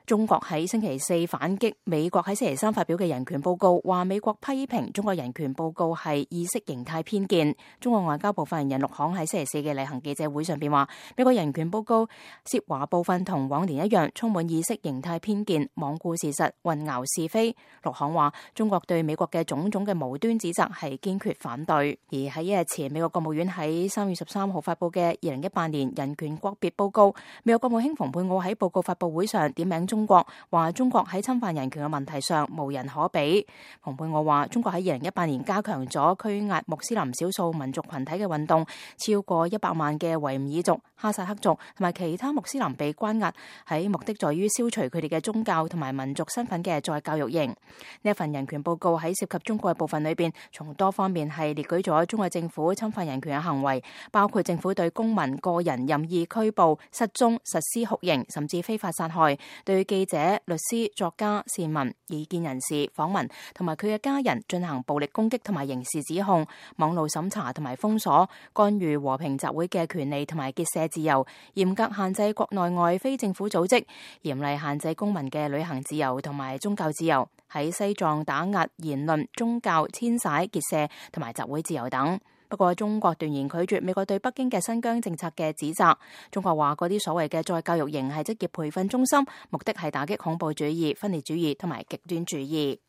中國喺星期四反擊美國喺星期三發表嘅人權報告，話美國批評中國人權報告係意識形態偏見。中國外交部發言人陸慷喺星期四嘅例行記者會上邊話，美國人權報告涉華部分同往年一樣，充滿意識形態偏見，罔顧事實，混淆是非。陸慷話，中國對美國嘅種種嘅無端指責係堅決反對。而喺一日前，美國國務院喺3月13號發佈嘅2018年人權國別報告，美國國務卿蓬佩奧喺報告發佈會上點名中國，話中國喺侵犯人權嘅問題上無人可比。蓬佩奧話，中國喺2018年加強咗拘押穆斯林少數民族群體嘅運動，超過100萬嘅維吾爾族、哈薩克族同埋其他穆斯林被關押，喺目的在於消除佢哋嘅宗教同埋民族身份嘅再教育營。呢一份人權報告喺涉及中國嘅部分裏邊，從多方面係列舉咗中國政府侵犯人權嘅行為，包括政府對公民個人任意拘捕、失蹤、實施酷刑，甚至非法殺害，對記者、律師、作家、市民、異見人士、訪民同埋佢嘅家人進行暴力攻擊同埋刑事指控，網路審查同埋封鎖，干預和平集會嘅權利同埋結社自由，嚴格限制國內外非政府組織，嚴厲限制公民嘅旅行自由同埋宗教自由，喺西藏打壓言論、宗教、遷徙、結社同埋集會自由等。不過中國斷然拒絕美國對北京嘅新疆政策嘅指責。中國話嗰啲所謂嘅再教育營係職業培訓中心，目的係打擊恐怖主義、分裂主義同埋極端主義。